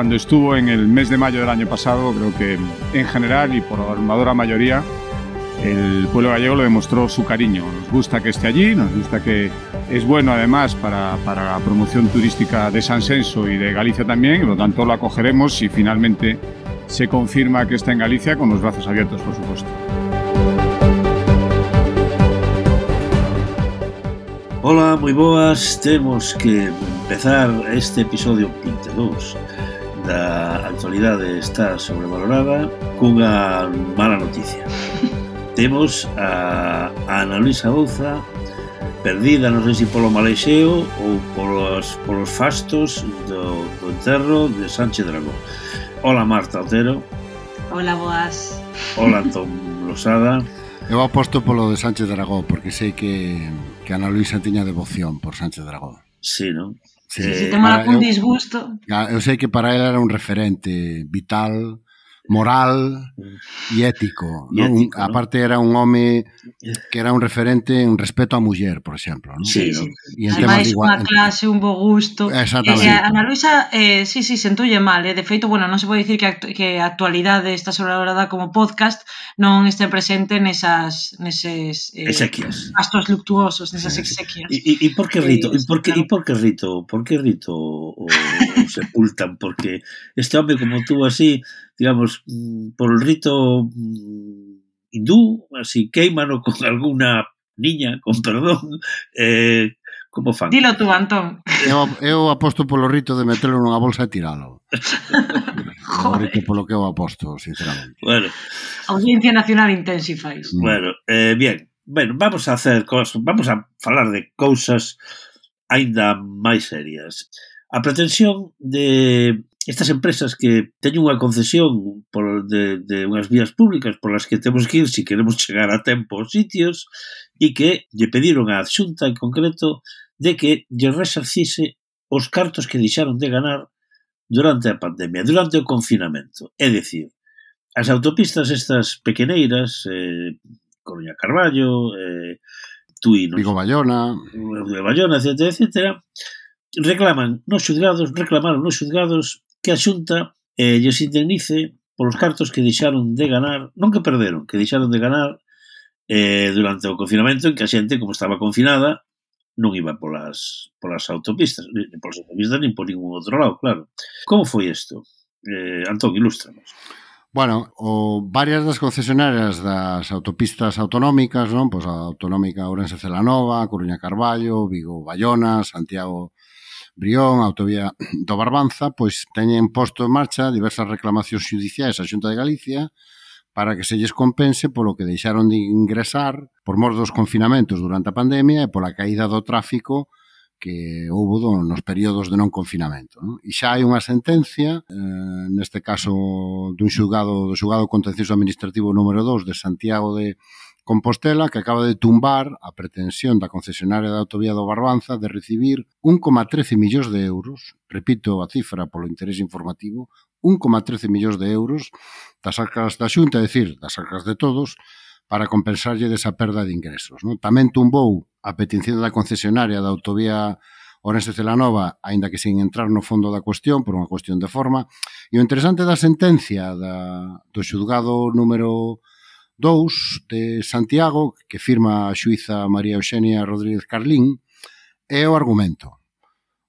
cuando estuvo en el mes de mayo del año pasado, creo que en general y por abrumadora mayoría, el pueblo gallego le demostró su cariño. Nos gusta que esté allí, nos gusta que es bueno además para la promoción turística de Sanxenxo y de Galicia también, y por lo tanto lo acogeremos si finalmente se confirma que está en Galicia, con los brazos abiertos, por supuesto. Hola, moi boas. Temos que empezar este episodio 22 da actualidade está sobrevalorada cunha mala noticia. Temos a Ana Luisa Bouza perdida, non sei se polo malexeo ou polos fastos do enterro de Sánchez Dragó. Hola, Marta Otero. Hola, boas. Hola, Tom Losada. Eu aposto polo de Sánchez Dragó, porque sei que Ana Luisa tiña devoción por Sánchez Dragó. Sí, non? Sí, temos algún disgusto. Eu sei que para ela era un referente vital, moral e ético, non? Aparte era un home que era un referente en respeto á muller, por exemplo, non? Sí, non? E en ademais, unha clase, un bo gusto. Exactamente. Ana Luisa, sí, sentoulle mal, de feito, bueno, non se pode dicir que a actualidade está sobrevalorada como podcast non este presente neses exequias, gastos luctuosos, nesas exequias. E por que Rito? Por que Rito o sepultan? Porque este home como tú así, digamos, por el rito hindú, así queimano con alguna niña, con perdón, como fan? Dilo tú, Antón. Eu aposto polo rito de metelo nunha bolsa e tiralo. O rito polo que eu aposto, sinceramente. Bueno. Audiencia Nacional Intensifys. Bueno, bien. Bueno, vamos a falar de cousas aínda máis serias. A pretensión de estas empresas que teñen unha concesión de unhas vías públicas polas que temos que ir se queremos chegar a tempo aos sitios e que lle pediron á Xunta en concreto de que lle resarcise os cartos que deixaron de ganar durante a pandemia, durante o confinamento. É dicir, as autopistas estas pequeneiras, Coruña Carballo, Tui, Vigo-Bayona, etc., reclamaron nos xulgados que a Xunta lles indemnice polos cartos que deixaron de ganar, non que perderon, que deixaron de ganar durante o confinamento, en que a xente, como estaba confinada, non iba polas autopistas, nin por ningún outro lado, claro. Como foi isto? Antón, ilústranos. Bueno, varias das concesionarias das autopistas autonómicas, non? Pois a autonómica Ourense-Celanova, Coruña Carballo, Vigo-Bayona, Santiago Brión, a autovía do Barbanza, pois teñen posto en marcha diversas reclamacións xudiciais á Xunta de Galicia para que se lles compense polo que deixaron de ingresar por mor dos confinamentos durante a pandemia e pola caída do tráfico que houbo nos períodos de non confinamento, non? E xa hai unha sentencia, neste caso do xulgado contencioso administrativo número 2 de Santiago de Compostela, que acaba de tumbar a pretensión da concesionaria da autovía do Barbanza de recibir 1,13 millóns de euros, repito a cifra polo interés informativo, 1,13 millóns de euros das arcas da Xunta, é dicir, das arcas de todos, para compensarlle desa perda de ingresos, non? Tamén tumbou a petición da concesionaria da autovía Ourense-Celanova, aínda que sin entrar no fondo da cuestión, por unha cuestión de forma. E o interesante da sentencia do xulgado número 2 de Santiago, que firma a xuíza María Eugenia Rodríguez Carlín, é o argumento,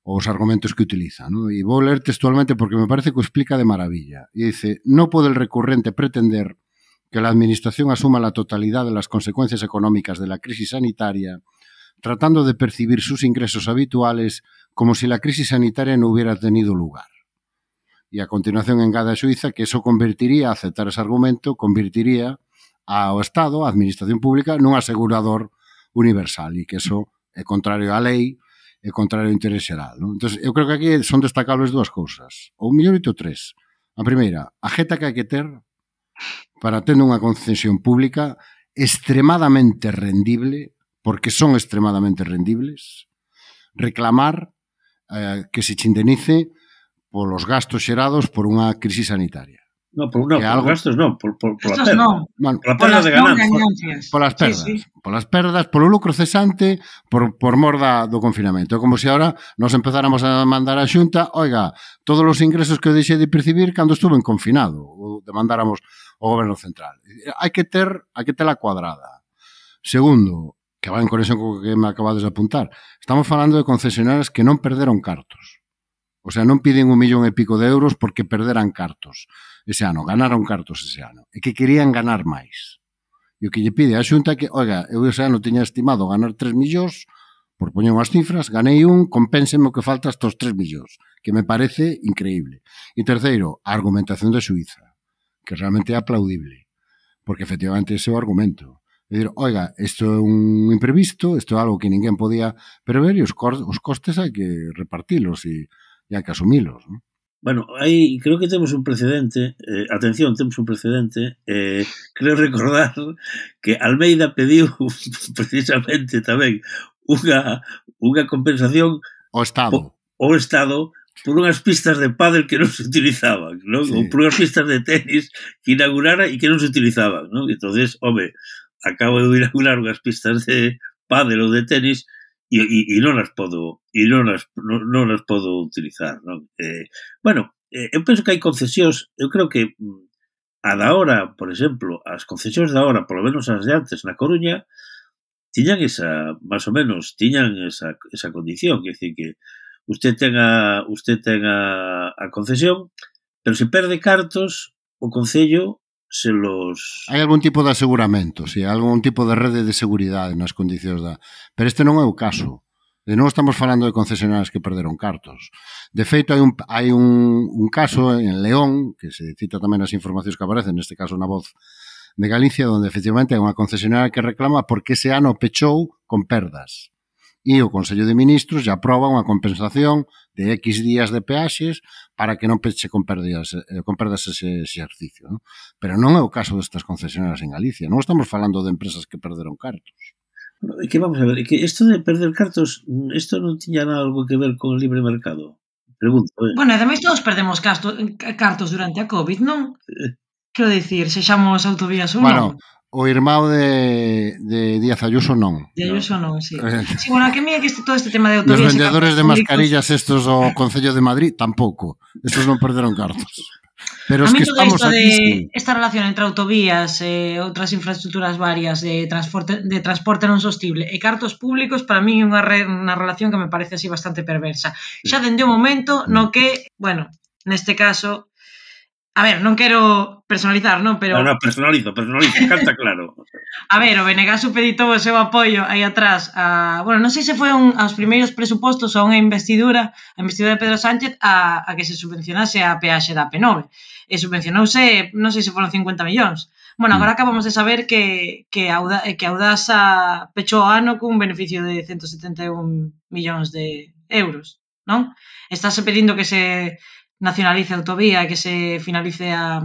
os argumentos que utiliza, ¿no? E vou ler textualmente porque me parece que o explica de maravilla. E dice: no pode el recurrente pretender que la Administración asuma la totalidad de las consecuencias económicas de la crisis sanitaria, tratando de percibir sus ingresos habituales como si la crisis sanitaria no hubiera tenido lugar. Y a continuación engade a xuíza que eso convertiría, a aceptar ese argumento, convertiría ao Estado, a Administración Pública, nun asegurador universal e que eso é contrario á lei, é contrario ao interés xeral, non? Entón, eu creo que aquí son destacables dúas cousas, ou mellor dito tres. A primeira, a jeta que hai que ter para ter unha concesión pública extremadamente rendible, porque son extremadamente rendibles, reclamar que se indemnice polos gastos xerados por unha crisis sanitaria. por gastos non, por la perda. Non. Bueno, por la perda de ganancias. Polas perdas. Sí. Polas perdas, polo lucro cesante, por mor do confinamento. É como se agora nos empezáramos a mandar a Xunta, oiga, todos os ingresos que eu deixei de percibir cando estuve en confinado, ou demandáramos ao goberno central. Hai que tela cuadrada. Segundo, que va en conexión co que me acabades de apuntar, estamos falando de concesionarias que non perderon cartos. O sea, non piden 1,5 millón de euros porque perderan cartos ese ano, ganaron cartos ese ano, e que querían ganar máis. E o que lle pide a Xunta que, oiga, eu ese ano tiña estimado ganar 3 millóns, por poñer unhas cifras, ganei compénseme o que falta estos 3 millóns, que me parece increíble. E terceiro, a argumentación de Suiza, que realmente é aplaudible, porque efectivamente ese é o argumento. É dicir, oiga, isto é un imprevisto, isto é algo que ninguén podía prever e os costes hai que repartilos e hai que asumilos, non? Bueno, aí creo que temos un precedente, atención, temos un precedente, creo recordar que Almeida pediu precisamente tamén unha compensación ao Estado por unhas pistas de pádel que non se utilizaban, non? Sí. Ou por unhas pistas de tenis que inaugurara e que non se utilizaban, non? Entonces, home, acabo de inaugurar unhas pistas de pádel ou de tenis e non as podo utilizar, non? Bueno, eu penso que hai concesións, eu creo que a da hora, por exemplo, as concesións da hora, polo menos as de antes na Coruña, tiñan esa, máis ou menos, tiñan esa condición, que é dicir que usted ten a concesión, pero se perde cartos, o Concello se los... Hai algún tipo de aseguramento, si, algún tipo de rede de seguridade nas condicións da... Pero este non é o caso. De non estamos falando de concesionarias que perderon cartos. De feito, hai un caso en León, que se cita tamén nas informacións que aparecen, neste caso na Voz de Galicia, onde efectivamente hai unha concesionaria que reclama porque ese ano pechou con perdas. E o Consello de Ministros já aproba unha compensación de X días de peaxes para que non peche con perdas ese exercicio, ¿no? Pero non é o caso destas concesionarias en Galicia. Non estamos falando de empresas que perderon cartos. É que vamos a ver, é que isto de perder cartos, isto non tiña nada algo que ver con o libre mercado. Pregunto. Bueno, ademais todos perdemos cartos durante a COVID, non? Quero dicir, sexamos autovías ou non? Bueno, o irmão de Díaz Ayuso non. De Ayuso non, sí. Sí, bueno, a que mí é que todo este tema de autovías... Os vendedores de mascarillas estos do Concello de Madrid tampouco. Estos non perderon cartos. Pero es que estamos aquí... Esta relación entre autovías e outras infraestructuras varias de transporte non sostible e cartos públicos, para mí é unha relación que me parece así bastante perversa. Xa dende o momento no que, bueno, neste caso... A ver, non quero personalizar, non? Pero... No, personalizo, canta claro. A ver, o BNG supeditou o seu apoio aí atrás a... Bueno, non sei se foi aos primeiros presupostos ou a investidura de Pedro Sánchez a que se subvencionase a peaxe da AP9. E subvencionouse, non sei se foron 50 millóns. Bueno, agora acabamos de saber que Audasa pechou o ano cun beneficio de 171 millóns de euros, non? Estáse pedindo que se... nacionalice a autovía e que se finalice a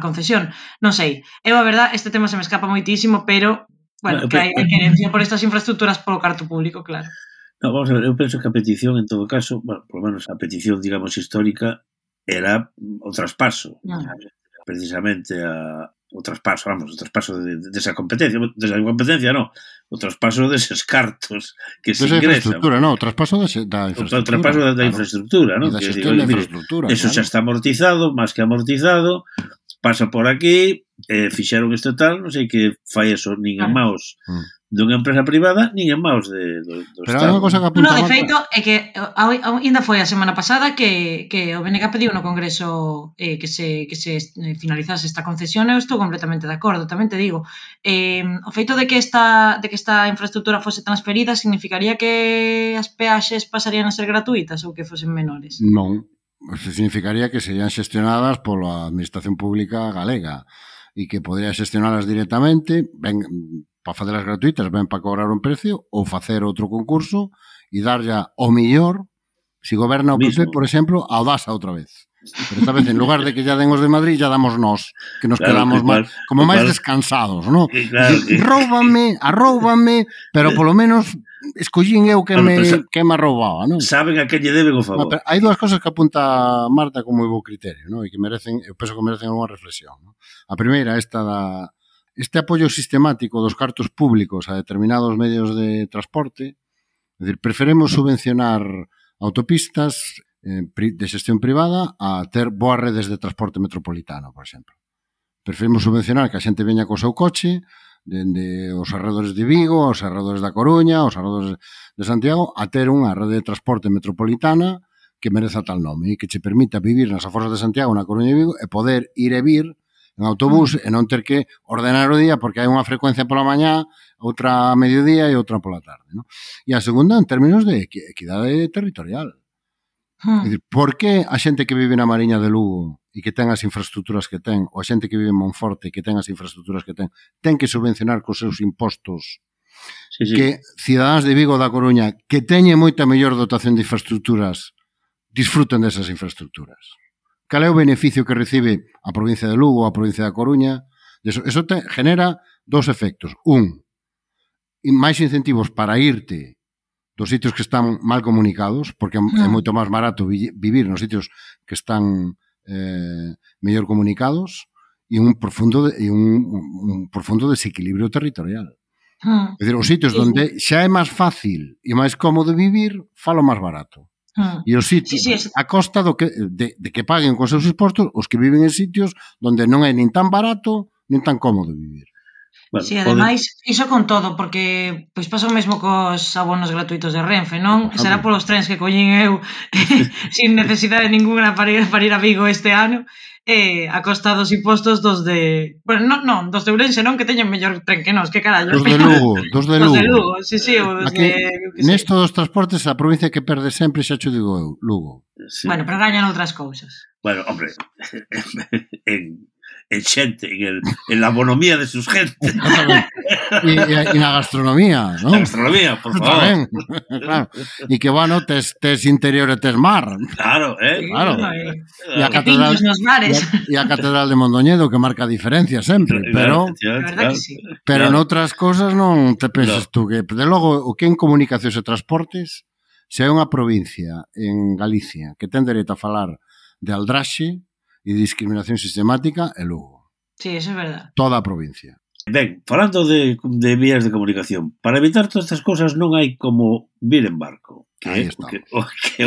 concesión. Non sei. Eu, a verdad, este tema se me escapa moitísimo, pero, bueno, que hai querencia por estas infraestructuras polo carto público, claro. No, vamos a ver, eu penso que a petición, en todo caso, bueno, por lo menos a petición, digamos, histórica, era o traspaso. Precisamente o traspaso desa competencia, non, o traspaso deses cartos que se ingresan. O traspaso da infraestructura. O traspaso da infraestructura, non? Da xestión da infraestructura. Eso xa está amortizado, máis que amortizado, pasa por aquí, fixeron isto tal, non sei que fai eso, nin en maus dunha empresa privada, nin en maus do Pero Estado. No, de feito, é que ainda foi a semana pasada que o BNG pediu no Congreso que se finalizase esta concesión, eu estou completamente de acordo, tamén te digo. O feito de que esta infraestructura fose transferida significaría que as peaxes pasarían a ser gratuitas ou que fosen menores? Non, significaría que serían xestionadas pola Administración Pública Galega e que podría xestionalas directamente, para facelas gratuitas, ben para cobrar un precio, ou facer outro concurso e darlle o millor, se goberna o PP, por exemplo, a Audasa outra vez. Pero esta vez, en lugar de que ya den os de Madrid, ya damos nós, que nos quedamos máis descansados, non? Claro, arróbame, pero polo menos escollín eu que me roubaba, non? Saben a que lle deben o favor. Pero hai dúas cosas que apunta Marta con moi bo criterio, non? E que merecen, eu penso que merecen unha reflexión, non? A primeira, este apoio sistemático dos cartos públicos a determinados medios de transporte. É dicir, preferemos subvencionar autopistas de xestión privada a ter boas redes de transporte metropolitano, por exemplo. Preferimos subvencionar que a xente veña co seu coche dende os arredores de Vigo, os arredores da Coruña, os arredores de Santiago, a ter unha rede de transporte metropolitana que mereza tal nome e que che permita vivir nas aforas de Santiago, na Coruña e Vigo, e poder ir e vir en autobús e non ter que ordenar o día porque hai unha frecuencia pola mañá, outra a mediodía e outra pola tarde, ¿no? E a segunda, en términos de equidade territorial. É dicir, por que a xente que vive na Mariña de Lugo e que ten as infraestructuras que ten, ou a xente que vive en Monforte e que ten as infraestructuras que ten que subvencionar cos seus impostos que cidadáns de Vigo da Coruña que teñen moita mellor dotación de infraestructuras disfruten desas infraestructuras? Cal é o beneficio que recibe a provincia de Lugo ou a provincia da Coruña? Eso genera dos efectos. Máis incentivos para irte dos sitios que están mal comunicados, porque é moito máis barato vivir nos sitios que están mellor comunicados, e un profundo desequilibrio territorial. É dicir, os sitios onde xa é máis fácil e máis cómodo vivir, falo máis barato. E os sitios, a costa de que paguen con seus impostos os que viven en sitios onde non é nin tan barato nin tan cómodo vivir. Bueno, sí, ademais, iso con todo, porque pois pasa o mesmo cos abonos gratuitos de Renfe, non? Será polos trens que collín eu sin necesidade ninguna para ir a Vigo este ano, a costa dos impostos dos de... Bueno, non, dos de Ourense non, que teñen mellor tren que nos, que carallo. Dos de Lugo. Dos de Lugo, sí, ou dos de... Nesto dos transportes, a provincia que perde sempre, xa te digo eu, Lugo. Sí. Bueno, pero gañan outras cousas. Bueno, hombre, en xente, en la bonomía de sus gente. E na gastronomía, ¿no? Na gastronomía, por favor. Tamén, claro. E que, bueno, tes interior e tes mar. Claro, Claro. E a catedral nos mares. E a catedral de Mondoñedo, que marca a diferencia sempre, pero pero noutras cosas non te pensas tú que, de logo, o que en comunicacións e transportes, se hai unha provincia en Galicia que ten dereito a falar de aldraxe e discriminación sistemática, é Lugo. Sí, eso é verdad. Toda a provincia. Ben, falando de vías de comunicación, para evitar todas estas cosas non hai como vir en barco. Que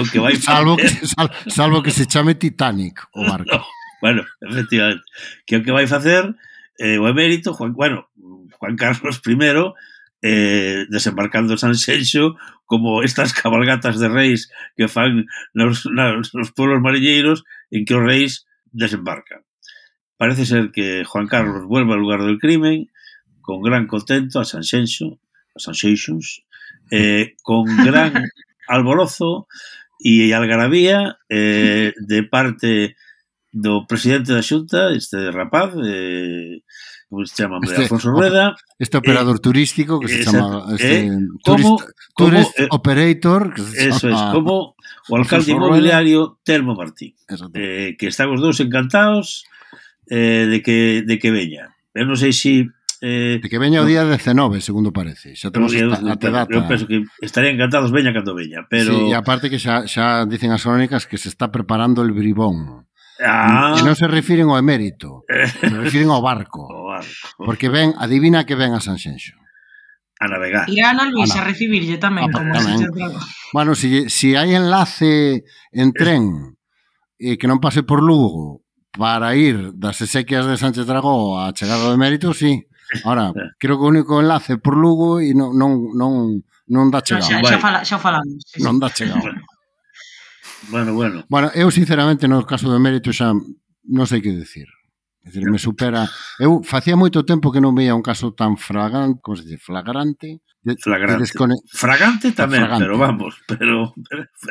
o que vai facer... Salvo que se chame Titanic o barco. No, bueno, efectivamente. Que o que vai facer o emérito, Juan Carlos I, desembarcando en Sanxenxo, como estas cabalgatas de reis que fan nos pueblos mariñeiros en que os reis desembarcan. Parece ser que Juan Carlos vuelve al lugar del crimen con gran contento a Sanxenxo, con gran alborozo e algarabía de parte do presidente da Xunta, este rapaz, como se chama, Alfonso Rueda. Este operador turístico que se chama Tourist Operator. Eso es, como o alcalde inmobiliario Telmo Martín, que están os dous encantados de que veña. Eu non sei se... de que veña o día 19, segundo parece. Xa temos a data. Eu penso que estarían encantados veña cando veña, pero... Sí, e aparte que xa dicen as crónicas que se está preparando el bribón. E non se refiren ao emérito, se refiren ao barco. Porque adivina que ven a Sanxenxo. A navegar. Irá Ana Luisa a recibirlle tamén. Bueno, si hai enlace en tren que non pase por Lugo para ir das exequias de Sánchez Dragó a chegar ao emérito, sí. Ahora, creo que o único enlace por Lugo e non dá chegado. Xa falamos. Non dá chegado. Bueno. Bueno, eu sinceramente no caso do emérito xa non sei que decir. É dicir, me supera. Eu facía moito tempo que non veía un caso tan flagrante, como se dice, flagrante. Fragante tamén, pero vamos, pero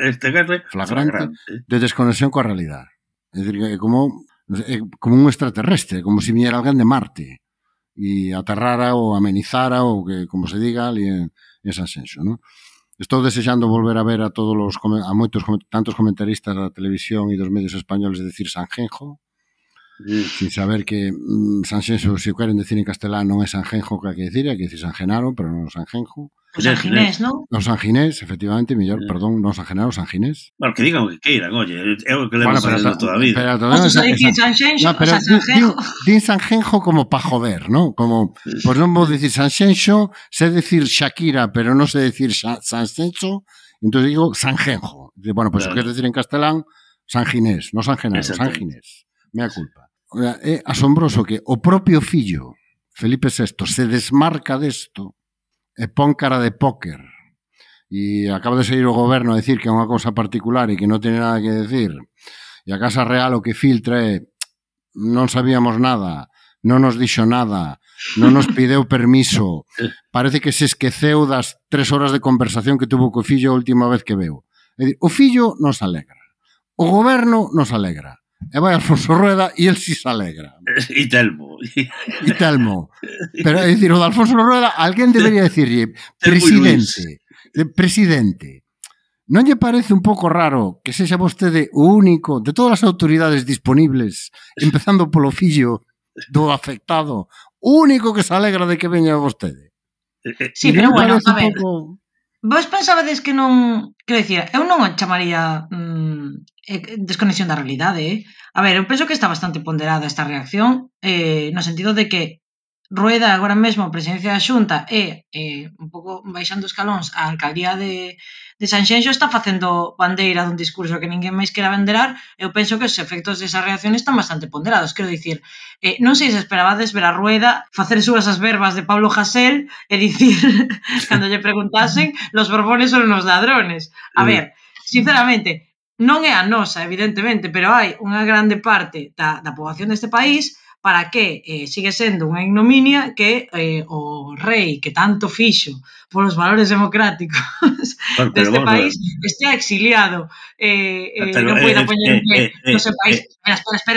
este caso é flagrante de desconexión coa realidade. É dicir, é como un extraterrestre, como se viñera alguén de Marte e aterrara ou amenizara ou que, como se diga, ali en Sanxenxo, non? Estou desexando volver a ver a moitos tantos comentaristas da televisión e dos medios españoles decir Sanjenjo, sin saber que Sanxenxo, se o queren decir en castelán, non é Sanjenjo que hai que decir San Genaro, pero non San Genjo. O San Ginés, non? O San Ginés, efectivamente, mellor, perdón, non San Genaro, San Ginés. Bueno, que digan o que queiran, oye, é o que levo facendo toda a vida. Os a dicir Sanxenxo, o sea, Sanjenjo. Din Sanjenjo como pa joder, ¿no? Como, pues non vou dicir Sanxenxo, sé decir Shakira, pero non sé decir Sanxenxo, entón digo Sanjenjo. Bueno, pues o que decir en castelán, San Ginés, non San Genaro, San Ginés. Mea culpa. É asombroso que o propio fillo, Felipe VI, se desmarca desto e pon cara de póker e acaba de sair o goberno a decir que é unha cousa particular e que non ten nada que decir e a Casa Real o que filtra é non sabíamos nada, non nos dixo nada, non nos pideu permiso, parece que se esqueceu das 3 horas de conversación que tuvo co fillo a última vez que veu. É dicir, o fillo nos alegra, o goberno nos alegra, e vai Alfonso Rueda e el si se alegra. E Telmo. Pero, é dicir, o de Alfonso Rueda, alguén debería decirlle, presidente, non lle parece un pouco raro que sexa vostede o único de todas as autoridades disponibles, empezando polo fillo do afectado, o único que se alegra de que veña vostede? Sí, pero bueno, a ver, vos pensabades que non... Quero dicir, eu non o chamaría desconexión da realidade, A ver, eu penso que está bastante ponderada esta reacción, no sentido de que Rueda agora mesmo a presidencia da Xunta e un pouco baixando escalóns a alcaldía de Sanxenxo está facendo bandeira dun discurso que ninguén máis quera venderar. Eu penso que os efectos desa reacción están bastante ponderados. Quero dicir, non sei se esperabades ver a Rueda facer súas as verbas de Pablo Hasél e dicir, cando lle preguntasen, los borbones son unos ladrones. A ver, sinceramente, non é a nosa, evidentemente, pero hai unha grande parte da poboación deste país para que sigue sendo unha ignominia que o rei que tanto fixo polos valores democráticos deste país estea exiliado non poida poñer en pé no seu país.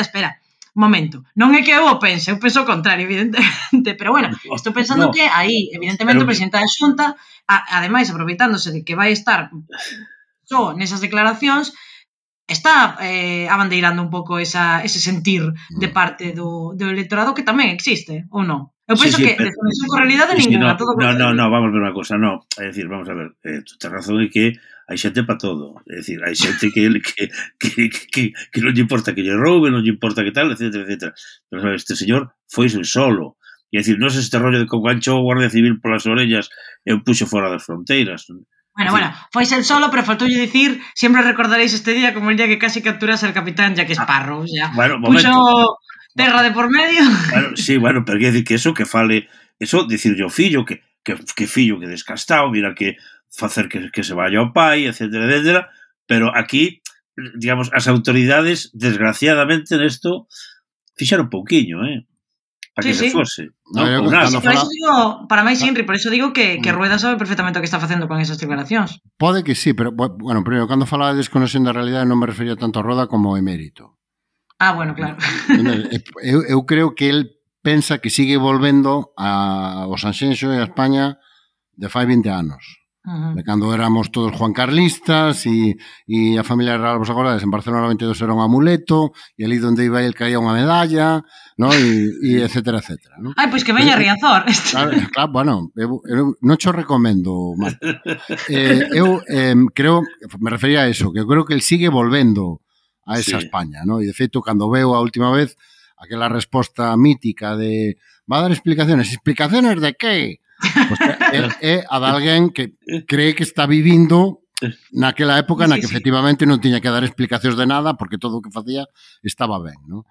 Espera, un momento, non é que eu o pense, eu penso o contrario, evidentemente, pero bueno, estou pensando que aí, evidentemente, o presidente da Xunta, ademais, aproveitándose de que vai estar só nesas declaracións, está abandeirando un pouco ese sentir de parte do electorado que tamén existe, ou non? Eu penso que desconexión con realidade ninguna. No, vamos a ver unha cosa, no. É dicir, vamos a ver, tu tens razón en que hai xente para todo. É dicir, hai xente que non lle importa que lle roube, non lle importa que tal, etc. Pero este señor foi solo. É dicir, non é este rollo de que ganchou o Guardia Civil polas orellas e o puxo fora das fronteiras. Bueno, foise el solo, pero faltoulle dicir, sempre recordaréis este día como el día que casi capturase al capitán Jack Sparrow, ya. Puxo terra de por medio. Sí, pero quer dicir que eso que fale, eso, dicirlle ao fillo que fillo que descastado, mira que facer que se vaya ao pai, etcétera, pero aquí, digamos, as autoridades, desgraciadamente, nesto, fixaron pouquiño, para que se fose. Por eso digo, para máis Inri, por eso digo que Rueda sabe perfectamente o que está facendo con esas declaracións. Pode que sí, pero, bueno, primeiro, cando falaba de desconexión da realidade non me refería tanto a Rueda como ao emérito. Bueno, claro. Eu creo que el pensa que sigue volvendo ao Sanxenxo e a España de fai 20 anos. De cando éramos todos juancarlistas e a familia real, vos acordades, en Barcelona 92 era un amuleto e ali donde iba el caía unha medalla, ¿no? E etcétera, ¿no? Pois que veña Riazor. Claro, bueno, eu non cho recomendo, Marta. Eu creo, me refería a eso, que eu creo que el sigue volvendo a esa España, ¿no? E de feito, cando veo a última vez aquela resposta mítica de va a dar explicaciones de qué? Pues é a de alguén que cree que está vivindo naquela época na que efectivamente non tiña que dar explicacións de nada porque todo o que facía estaba ben, ¿no?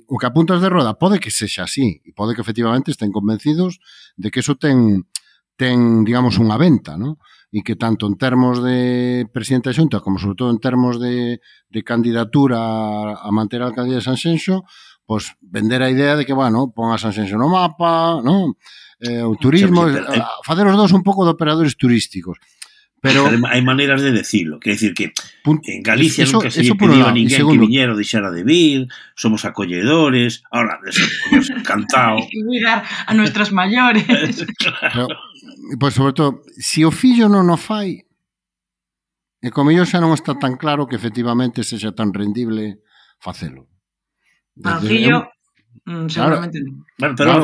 O que apuntas de Rueda pode que sexa así e pode que efectivamente estén convencidos de que eso ten digamos, unha venta, ¿no? E que tanto en termos de presidente da Xunta como sobre todo en termos de candidatura a manter a alcaldía de Sanxenxo, pues vender a idea de que, bueno, pon a Sanxenxo no mapa, ¿no? O turismo, facer os dous un pouco de operadores turísticos. Pero hai maneiras de decirlo, quer decir que en Galicia nunca se lle pediu a ninguén que viñera ou deixara de vir, somos acolledores, ahora, encantado. E cuidar a nuestros maiores. Pero, pues, sobre todo, se o fillo non o fai, e como yo xa non está tan claro que efectivamente sexa tan rendible facelo. Para o fillo, seguramente non. Bueno, pero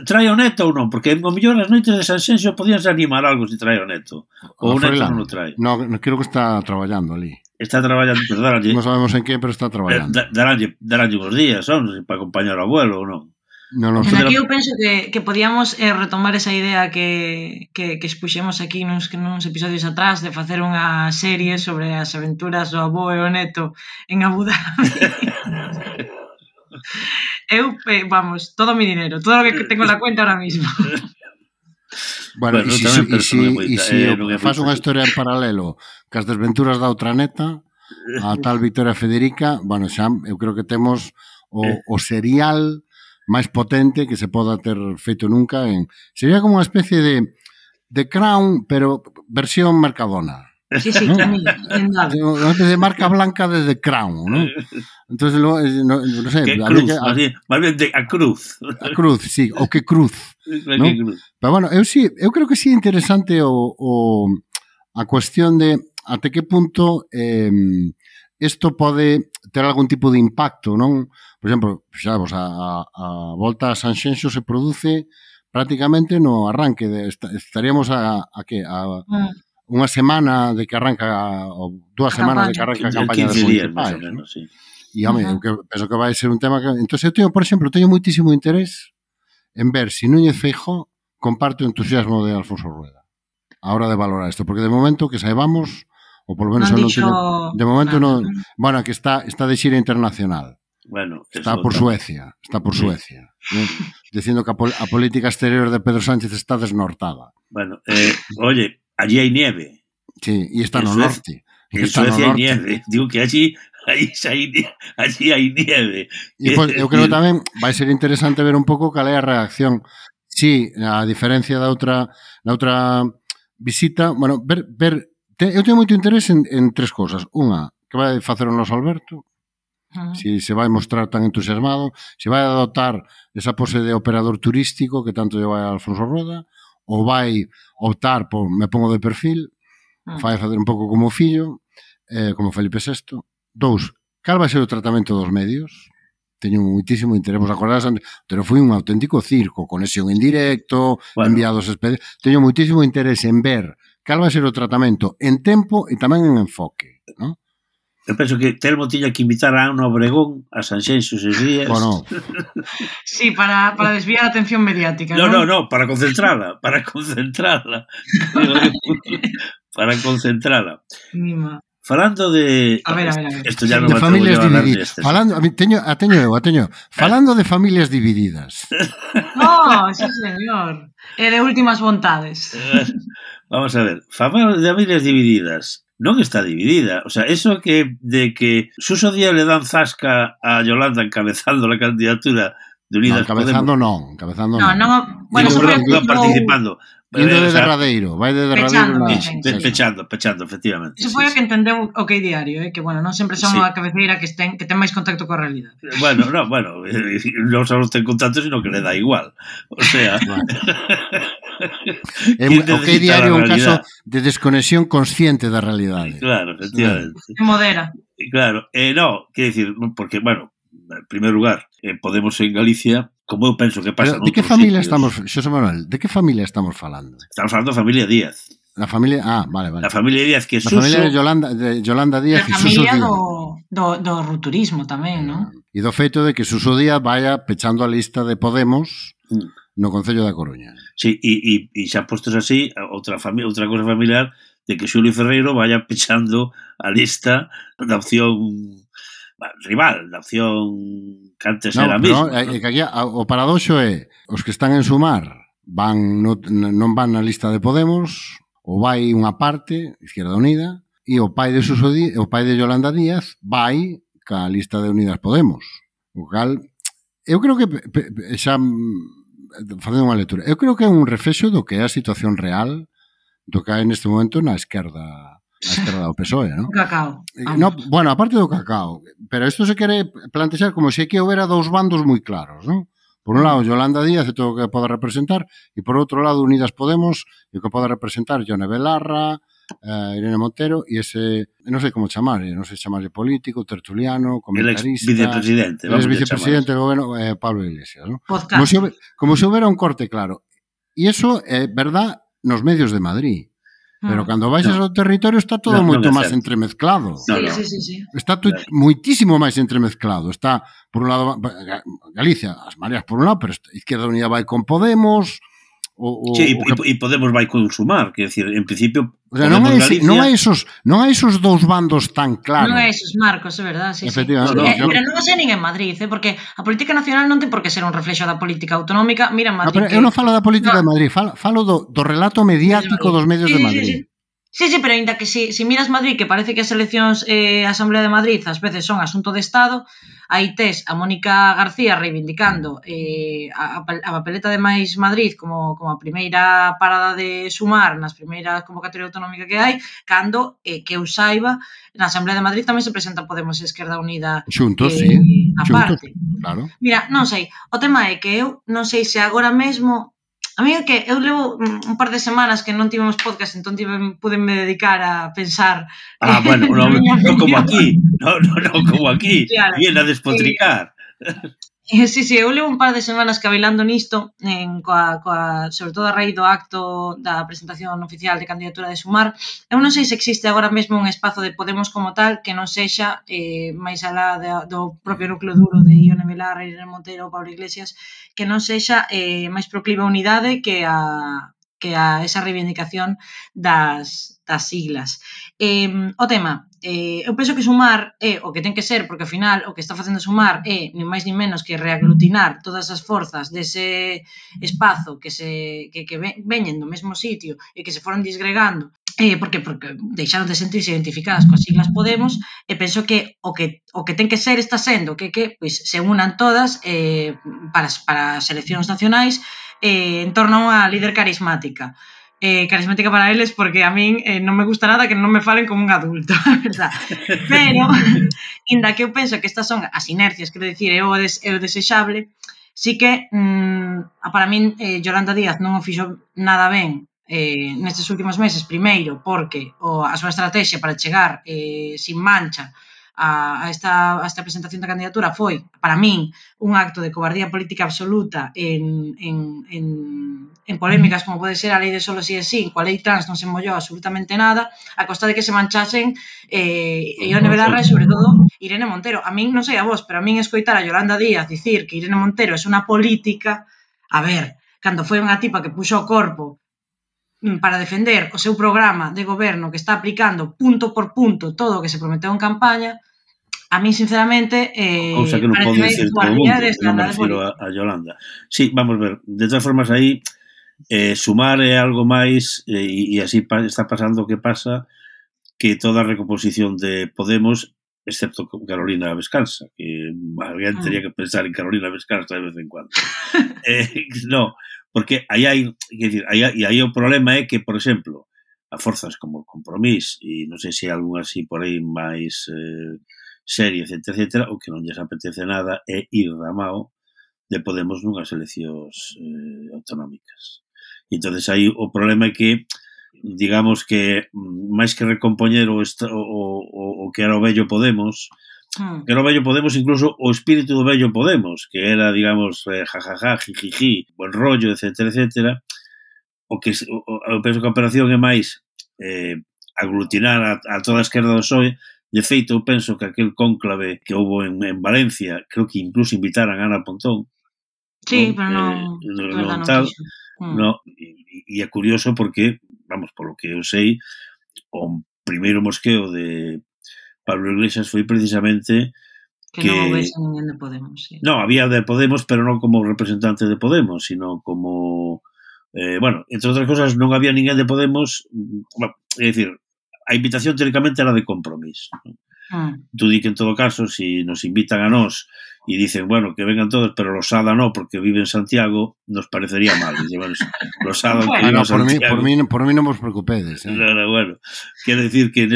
trae o neto ou non? Porque o mellor as noites de Sanxenxo podíanse animar algo se trae o neto. Ou o neto non o trae. No, creo que está traballando ali. Está traballando, pero daránlle... Non sabemos en que, pero está traballando. Daránlle uns días, son, para acompañar ao abuelo ou non? Non, aquí eu penso que podíamos retomar esa idea que expuxemos aquí nuns episodios atrás de facer unha serie sobre as aventuras do avó e o neto en Abu Dhabi. Eu, vamos, todo mi dinero, todo lo que tengo en la cuenta ahora mismo. Bueno, e se faz unha historia en paralelo cas desventuras da outra neta, a tal Victoria Federica, bueno, xa, eu creo que temos o serial máis potente que se poda ter feito nunca. Sería como unha especie de Crown, pero versión Mercadona. Sí, unha especie de marca blanca de The Crown, ¿no? Entonces, no sé... Que cruz, más bien a cruz. A cruz, sí, o que cruz. ¿No? Pero bueno, eu creo que sí é interesante a cuestión de até que punto isto pode ter algún tipo de impacto, non? Por exemplo, xavos, a volta a Sanxenxo se produce prácticamente no arranque estaríamos a unha semana de que arranca ou 2 semanas de que arranca a campaña das municipais, ¿no? Sí. E, home, eu penso que vai ser un tema que... Entón, eu teño, por exemplo, moitísimo interés en ver se Núñez Feijóo comparte o entusiasmo de Alfonso Rueda a hora de valorar isto, porque de momento que saibamos, ou polo menos non teño... De momento non... Bueno, que está de xira internacional. Bueno, está por Suecia, ¿no? Dicindo que a política exterior de Pedro Sánchez está desnortada. Bueno, oye, allí hai nieve. Sí, e está no norte. En Suecia hai nieve. Digo que allí hai nieve. E pois, eu creo tamén vai ser interesante ver un pouco cal é a reacción. Sí, a diferencia da outra visita, bueno, eu teño moito interés en tres cosas. Unha, que vai facer o noso Alberto, si se vai mostrar tan entusiasmado, se vai adoptar esa pose de operador turístico que tanto lle vai a Alfonso Rueda, ou vai optar por me pongo de perfil, vai facer un pouco como o fillo, como Felipe VI. 2, cal vai ser o tratamento dos medios? Teño moitísimo interés. Vos acordades, pero foi un auténtico circo, conexión en directo, enviados expedientes. Teño moitísimo interés en ver cal vai ser o tratamento en tempo e tamén en enfoque, non? Eu penso que Telmo tiña que invitar a Ana Obregón a Sanxenxo esos días. Bueno. Sí, para desviar a atención mediática, ¿no? No, para concentrala. Para concentrala. Mima. Falando de... A ver. Esto ya no de familias divididas. Teño. Falando de familias divididas. No, sí, señor. E de últimas vontades. Vamos a ver. Familias divididas. Non está dividida. O sea, eso de que Suso Díaz le dan zasca a Yolanda encabezando la candidatura de Unidas Encabezando Podemos. No. Bueno, eso foi participando. Indo de derradeiro, vai de derradeiro. Pechando, efectivamente. Eso foi o que entendeu o OK Diario, que, bueno, non sempre son a cabeceira que ten máis contacto coa realidade. Bueno, non só ten contacto, sino que le da igual. O sea... OK Diario é un caso de desconexión consciente da realidade. Claro, efectivamente. Se modera. Claro, no, quero dicir, porque, bueno, en primer lugar, Podemos en Galicia, como eu penso que pasa. Pero de que familia estamos, Xosé Manuel, de que familia estamos falando? Estamos falando da familia Díaz. La familia, vale. La familia Díaz que Suso... La familia de Yolanda Díaz e Suso Díaz. A familia do rupturismo tamén, non? E do feito de que Suso Díaz vaya pechando a lista de Podemos no Concello da Coruña. Sí, e xa postos así, outra cosa familiar de que Xulio Ferreiro vaya pechando a lista da opción rival, da opción que antes era mismo. Que aquí, o paradoxo é os que están en Sumar non van na lista de Podemos, ou vai unha parte, Izquierda Unida, e o pai de Suso Díaz, o pai de Yolanda Díaz vai ca lista de Unidas Podemos. O cal, eu creo que xa facendo unha lectura, eu creo que é un reflexo do que é a situación real do que hai neste momento na esquerda do PSOE, ¿no? O cacao. No, bueno, aparte do cacao, pero isto se quere plantexar como se que houbera dous bandos moi claros, ¿no? Por un lado, Yolanda Díaz e todo o que pode representar, e por outro lado, Unidas Podemos e o que pode representar Yone Belarra, Irene Montero, e ese, non sei como chamarlle, non sei chamarlle político, tertuliano, comentarista, vicepresidente, el vicepresidente do goberno, Pablo Iglesias, ¿no? Podcast. Como se houbera un corte claro. E iso é verdad nos medios de Madrid. Pero cando baixas ao territorio está todo moito máis entremezclado. Sí. Está moitísimo máis entremezclado. Está, por un lado, Galicia, as mareas por un lado, pero Izquierda Unida vai con Podemos. E Podemos vai con Sumar, que decir, en principio, o sea, non hai esos dous bandos tan claros. Non hai esos marcos, é verdad, sí. Pero non o sei nin en Madrid, porque a política nacional non ten por que ser un reflexo da política autonómica. Mira en Madrid. Pero eu non falo da política de Madrid, falo do relato mediático dos medios de Madrid. Sí, pero ainda que si miras Madrid, que parece que as eleccións a Asamblea de Madrid ás veces son asunto de Estado, aí tes a Mónica García reivindicando a papeleta de Mais Madrid como a primeira parada de Sumar nas primeiras convocatoria autonómica que hai, cando, que eu saiba, na Asamblea de Madrid tamén se presenta Podemos e Esquerda Unida xuntos, sí, aparte. Claro. Mira, non sei, o tema é que eu non sei se agora mesmo. A mí é que eu levo un par de semanas que non tivemos podcast, entón pudenme dedicar a pensar. Bueno, non como aquí. Non como aquí. Claro. Viene a despotricar. Sí, eu levo un par de semanas cavilando nisto, sobre todo a raíz do acto da presentación oficial de candidatura de Sumar. Eu non sei se existe agora mesmo un espazo de Podemos como tal que non sexa máis alá do propio núcleo duro de Ione Belarra, Irene Montero ou Pablo Iglesias, que non sexa máis proclive a unidade que a esa reivindicación das siglas. O tema, eu penso que Sumar é o que ten que ser, porque ao final o que está facendo Sumar é nin máis nin menos que reaglutinar todas as forzas dese espazo que veñen do mesmo sitio e que se foron disgregando porque deixaron de sentirse identificadas coas siglas Podemos, e penso que o que ten que ser está sendo que pois, se unan todas para as eleccións nacionais en torno a unha líder carismática. Carismática para eles porque a min non me gusta nada que non me falen como un adulto, verdad? Pero, inda que eu penso que estas son as inercias, quero dicir, é o desexable, sí que para min Yolanda Díaz non o fixo nada ben nestes últimos meses, primeiro porque a súa estrategia para chegar sin mancha a esta presentación da candidatura foi, para min, un acto de cobardía política absoluta en polémicas como pode ser a lei de solo si é sí, coa lei trans non se mollou absolutamente nada, a costa de que se manchasen Ione Belarra e, sobre todo, Irene Montero. A min, non sei a vos, pero a min escoitar a Yolanda Díaz dicir que Irene Montero é unha política, a ver, cando foi unha tipa que puxo o corpo para defender o seu programa de goberno que está aplicando punto por punto todo o que se prometeu en campaña, a mí, sinceramente, cousa que non pode decir todo o mundo, non me refiro a Yolanda. Sí, vamos ver, de todas formas aí Sumar é algo máis e así está pasando o que pasa que toda a recomposición de Podemos, excepto Carolina Vescansa, que alguén teria que pensar en Carolina Vescansa de vez en cuando. No, porque aí o problema é que, por exemplo, a forzas como Compromís e non sei se hai algún así por aí máis serie, etcétera, o que non lles apetece nada é ir da mao de Podemos nunhas eleccións autonómicas. E entonces aí o problema é que, digamos que máis que recompoñer o que era o vello Podemos, que era o vello Podemos, incluso o espírito do vello Podemos, que era, digamos, jajaja, jijiji, buen rollo, etcétera, o que eu penso que a operación é máis aglutinar a toda a esquerda do PSOE. De feito, eu penso que aquel cónclave que houve en Valencia, creo que incluso invitaran a Ana Pontón. Sí, pero non tal. No, e é curioso porque, vamos, polo que eu sei, o primeiro mosqueo de Pablo Iglesias foi precisamente que non houvese ninguén de Podemos, sí. No, había de Podemos, pero non como representante de Podemos, sino como bueno, entre outras cosas non había ninguén de Podemos, é dicir, a invitación teóricamente era de Compromís. Tú di que en todo caso, si nos invitan a nós e dicen, bueno, que vengan todos, pero Losada no, porque vive en Santiago, nos parecería mal. Dice, bueno, Losada que vive en Santiago. Por mí non vos preocupedes. Bueno, quero decir que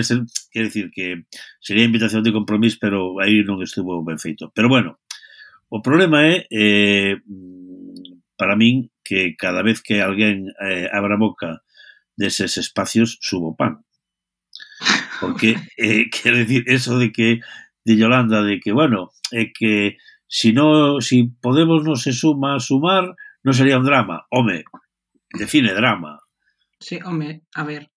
sería invitación de Compromís, pero aí non estuvo ben feito. Pero bueno, o problema é para min que cada vez que alguén abra boca deses espacios subo pan. Porque, quero decir, eso de que de Yolanda, de que, bueno, que si Podemos non se suma a sumar, non sería un drama. Home, define drama. Sí, home, a ver.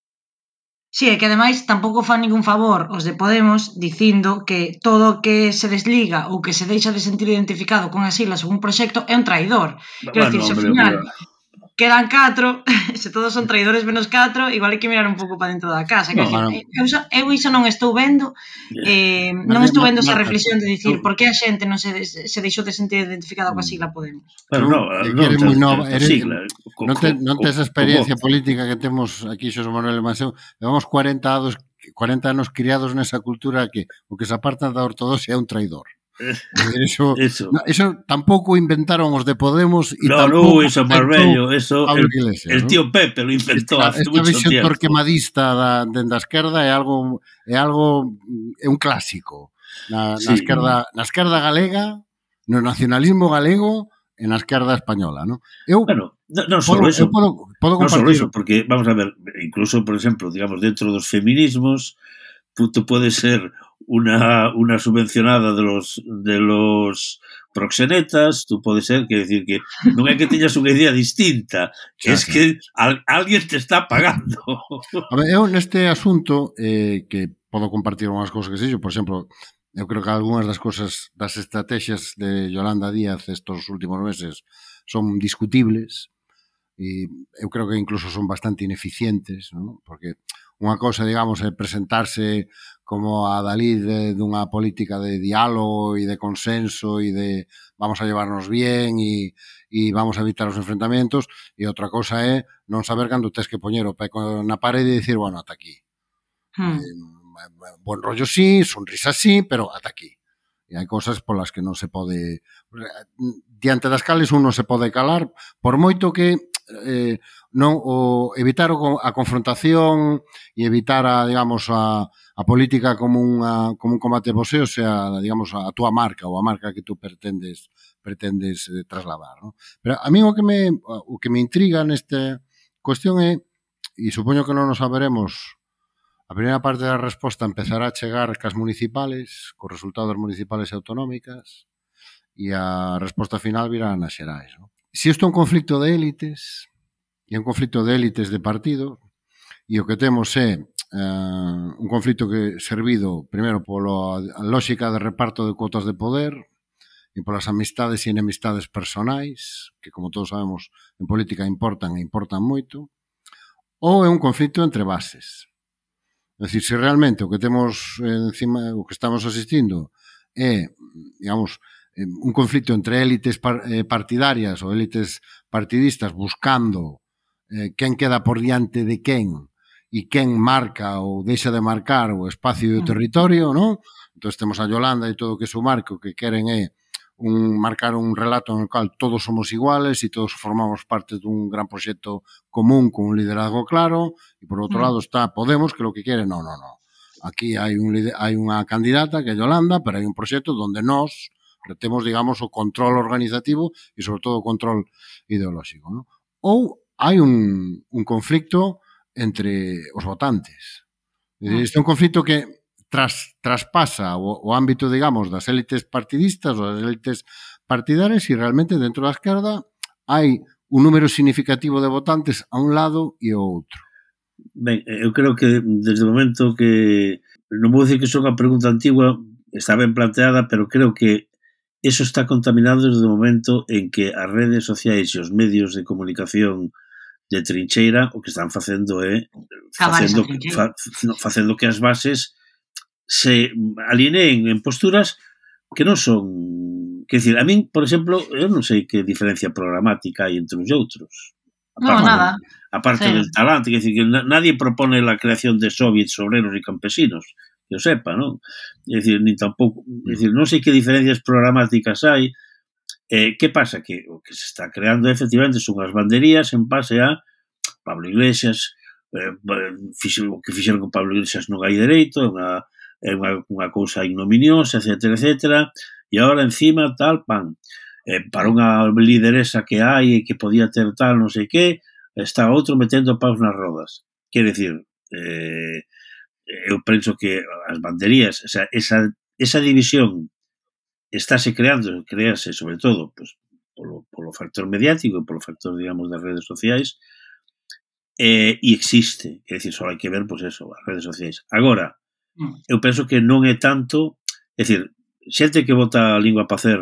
Sí, é que ademais tampouco fan ningún favor os de Podemos dicindo que todo que se desliga ou que se deixa de sentir identificado con as siglas ou un proxecto é un traidor. Quero Bueno, dicir, se ao hombre, final quedan 4, se todos son traidores menos 4, igual hai que mirar un pouco para dentro da casa. Quero dicir, eu iso non estou vendo, non estou vendo esa reflexión de dicir por que a xente non se deixou de sentir identificada coa sigla Podemos. Bueno, eres moi nova, non tes a experiencia co política que temos aquí Xosé Manuel e Maseu. Levamos 40 anos criados nesa cultura que o que se aparta da ortodoxia é un traidor. Eso tampouco inventaron os de Podemos e tampouco eso é máis bello, eso el tío Pepe lo inventó hace mucho tiempo. Esta visión torquemadista dende a esquerda é un clásico na esquerda galega, no nacionalismo galego e na esquerda española, non? Bueno, non só eso, podo compartir. Porque, vamos a ver, incluso, por exemplo, digamos, dentro dos feminismos, tú puedes ser una subvencionada de los proxenetas, tú puedes ser, quer decir que non é que teñas unha idea distinta, es que alguén te está pagando. A ver, eu neste asunto que podo compartir unhas cousas que sexo, por exemplo, eu creo que algunhas das cousas, das estrategias de Yolanda Díaz estos últimos meses son discutibles e eu creo que incluso son bastante ineficientes, ¿no? Porque unha cousa, digamos, é presentarse como a Dalí dunha política de diálogo e de consenso e de vamos a llevarnos bien e vamos a evitar os enfrentamentos, e outra cousa é non saber cando tes que poñer o pé na parede e dicir, bueno, ata aquí. Buen rollo sí, sonrisa sí, pero ata aquí. E hai cousas polas que non se pode, diante das cales un non se pode calar, por moito que non evitar a confrontación e evitar digamos a política como un combate de boxeo sea, digamos, a túa marca ou a marca que tú pretendes trasladar, ¿no? Pero a mí o que me intriga nesta cuestión é, e supoño que non nos saberemos, a primeira parte da resposta empezará a chegar cas municipales, cos resultados municipales e autonómicas, e a resposta final virá nas xerais, ¿no? Se isto é un conflicto de élites, e un conflicto de élites de partido, e o que temos é un conflicto que servido, primeiro, pola lógica de reparto de cuotas de poder e polas amistades e enemistades personais, que, como todos sabemos, en política importan moito, ou é un conflicto entre bases. É dicir, se realmente o que temos encima, o que estamos asistindo é, digamos, un conflicto entre élites partidarias ou élites partidistas buscando quen queda por diante de quen e quen marca ou deixa de marcar o espacio e o territorio, non? Entón temos a Yolanda e todo o que su marco que queren é marcar un relato en el cual todos somos iguales e todos formamos parte dun gran proxecto común con un liderazgo claro, e por outro lado está Podemos que lo que quere, non. Aquí hai unha candidata que é Yolanda, pero hai un proxecto onde nós temos, digamos, o control organizativo e, sobre todo, o control ideolóxico, non? Ou hai un conflicto entre os votantes. Este é un conflicto que traspasa o ámbito, digamos, das élites partidistas ou das élites partidarias e realmente dentro da esquerda hai un número significativo de votantes a un lado e ao outro. Ben, eu creo que desde o momento que non vou dicir que son unha pregunta antigua, está ben planteada, pero creo que eso está contaminado desde o momento en que as redes sociais e os medios de comunicación de trincheira o que están facendo é facendo que as bases se alineen en posturas que non son... Quer dizer, a min, por exemplo, eu non sei que diferencia programática hai entre uns e outros. Aparte del talante, quer dizer, que nadie propone la creación de soviets obreros e campesinos, que eu sepa, non? É dicir, nin tampouco... É dicir, non sei que diferencias programáticas hai. Que pasa? Que o que se está creando, efectivamente, son as banderías en base a Pablo Iglesias, o que fixeron con Pablo Iglesias non hai dereito, é unha cousa ignominiosa, etcétera, etcétera, e agora encima tal, pan, para unha lideresa que hai e que podía ter tal, non sei que, está outro metendo paus nas rodas. Quer decir, eu penso que as banderías, o sea, esa división estáse crease sobre todo pues, polo factor mediático e polo factor, digamos, das redes sociais, e existe, é dicir, só hai que ver, pois eso, as redes sociais. Agora, eu penso que non é tanto, é dicir, xente que bota a lingua para hacer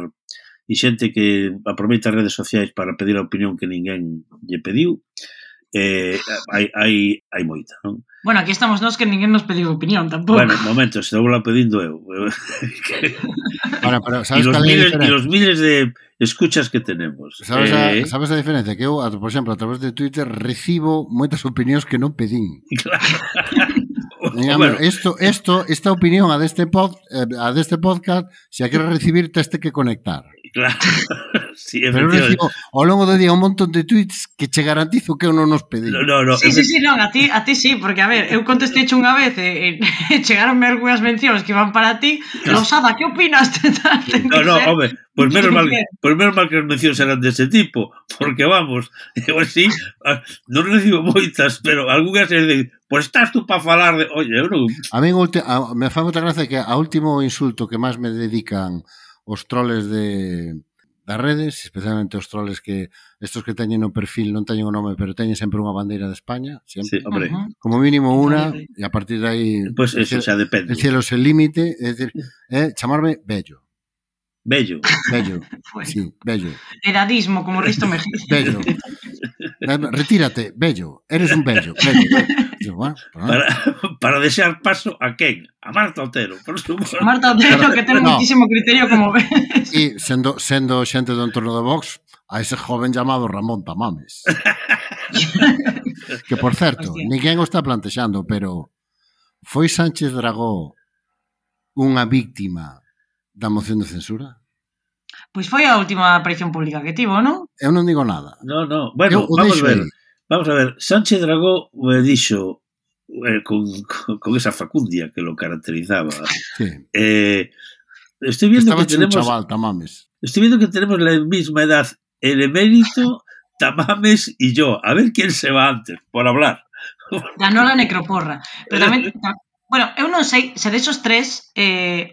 e xente que aproveita as redes sociais para pedir a opinión que ninguén lle pediu, hai moita, non? Bueno, aquí estamos nós que ninguén nos pediu opinión tampouco. Bueno, momento, se vou la pedindo eu. Ahora, pero sabes e los miles de escuchas que tenemos. Sabes a diferencia? Que eu, por exemplo, a través de Twitter recibo moitas opinións que non pedín. Claro. Bueno. Esta opinión a deste podcast, se a queres recibir, teste que conectar. Claro. Sí, pero recibo ao longo do día un montón de tweets que che garantizo que eu non nos pedí. No. Sí, non, a ti sí, porque a ver, eu contestei unha vez e chegaronme algunhas mencións que van para ti. Rosada, que opinas? Home, pues menos mal que as mencións eran dese tipo, porque vamos, eu así non recibo moitas, pero algunhas se dicen, pues estás tú para falar de... Oye, eu non... A mí me fai moita gracia que a último insulto que máis me dedican os troles das redes, especialmente os troles que estos que teñen no perfil non teñen o nome, pero teñen sempre unha bandeira de España, sempre. Sí, hombre. Como mínimo unha, e a partir de aí pues eso, xa depende. El cielo es el límite, é dicir, chamarme Bello. Bello. Sí, Bello. Edadismo, como Risto Mejía. Bello. Retírate, Bello. Eres un Bello. Bueno, para desear paso a quen? A Marta Otero, por suposto. Marta Otero, que ten muchísimo criterio, como ves. E sendo xente do entorno de Vox, a ese joven llamado Ramón Tamames. Que, por certo, ninguén o está plantexando, pero foi Sánchez Dragó unha víctima da moción de censura? Pois foi a última aparición pública que tivo, non? Eu non digo nada. No. Bueno, vamos a ver. Sánchez Dragó dixo con esa facundia que lo caracterizaba. Sí. Estoy viendo Estaba que tenemos un chaval, Tamames. Estoy viendo que tenemos la misma edad, el emérito, Tamames y yo. A ver quién se va antes, por hablar. Ganó la necroporra. Pero tamén... Bueno, eu non sei se desos tres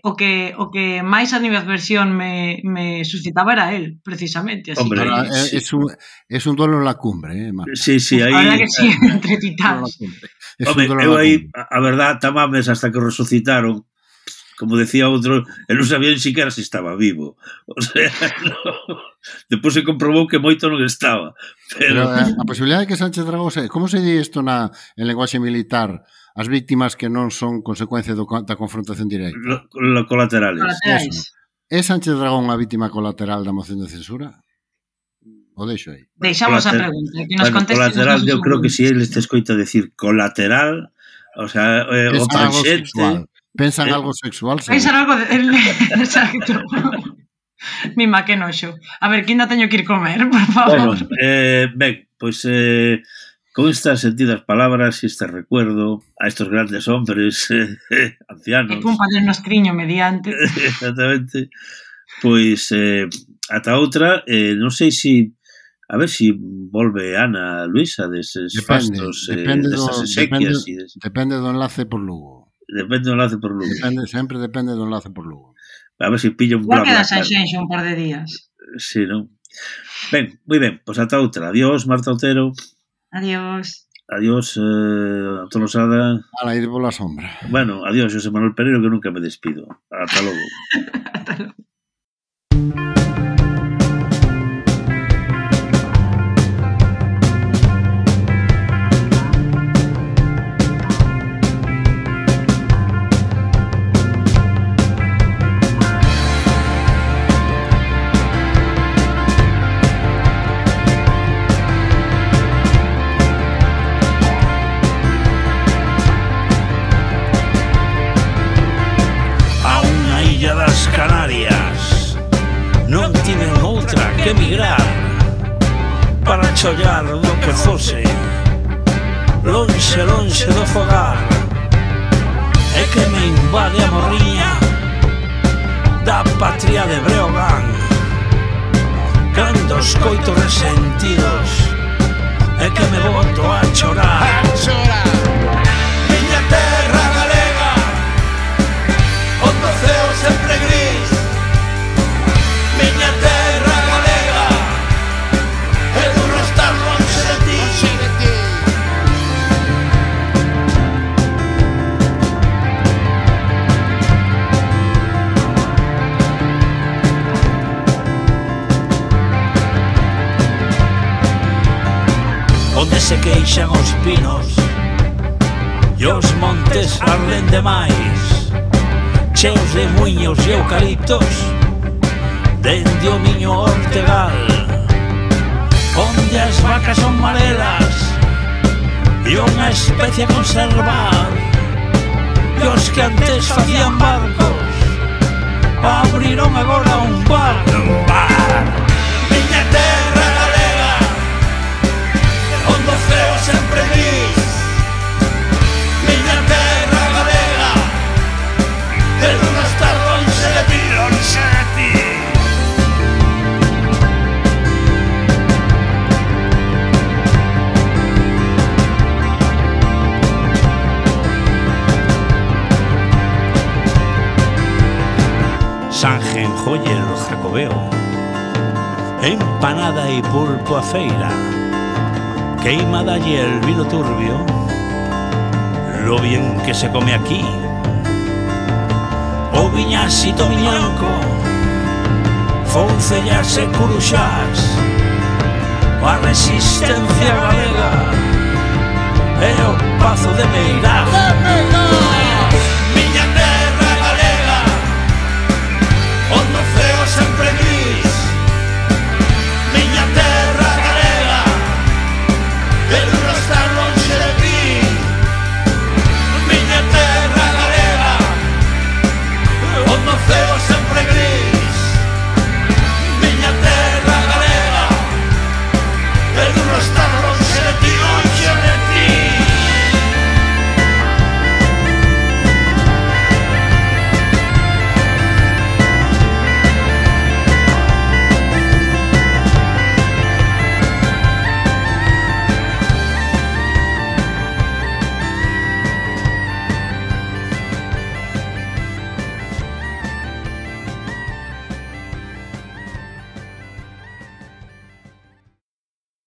o que máis animadversión me suscitaba era él, precisamente. Así. Hombre, que... es un duelo en la cumbre, Marta. Sí, ahí... A verdad que sí, entre titanes. Hombre, eu aí, a verdad, Tamames, hasta que resucitaron, como decía outro, él non sabía ni siquiera se estaba vivo. O sea, no. Despois se comprobou que moito non estaba. Pero a posibilidade de que Sánchez Dragó como se di isto en lenguaxe militar? As víctimas que non son consecuencia da confrontación directa. Colaterales. É Sánchez Dragón unha vítima colateral da moción de censura? O deixo aí? Deixamos a pregunta. Que nos colateral, eu creo que si él te escoita decir colateral, o sea, o tangente... Pensan algo sexual. Pensan algo... Exacto. Mima, que noxo. A ver, que ainda teño que ir comer, por favor. Bueno, ben, pois... Con estas sentidas palabras y este recuerdo a estos grandes hombres ancianos. Que cumpan el nostriño mediante. Exactamente. Pois ata outra, non sei se a ver se volve Ana Luisa deses fastos, desas exequias. Depende do enlace por Lugo. Depende do enlace por Lugo. Sempre depende do enlace por Lugo. A ver se pilla un blabla. Igual queda Sanxenxo un par de días. Sí, non? Ben, moi ben, pois ata outra. Adiós, Marta Otero. Adiós. Adiós, Tolosada. A la ir por la sombra. Bueno, adiós, José Manuel Pereiro, que nunca me despido. Hasta luego. Hasta luego. Que emigrar para chollar do que fose lonxe do fogar é que me invade a morriña da patria de Breogán cando escoito resentidos é que me boto a chorar miña terra galega se queixan os pinos e os montes arden demais, cheos de muiños e eucaliptos dende o miño Ortegal, onde as vacas son marelas e unha especie a conservar, e os que antes facían barcos abriron agora un bar. Miña terra galega, onde o ceo sempre gris, miña terra galega, pero non estar lonxe de ti, lonxe de ti. Sanjen, joyer, jacobeo, empanada y pulpo a feira, queimada y el vino turbio, lo bien que se come aquí, o viñasito miñanco, foncellas e curuxás, a resistencia galega, e o pazo de Meirás.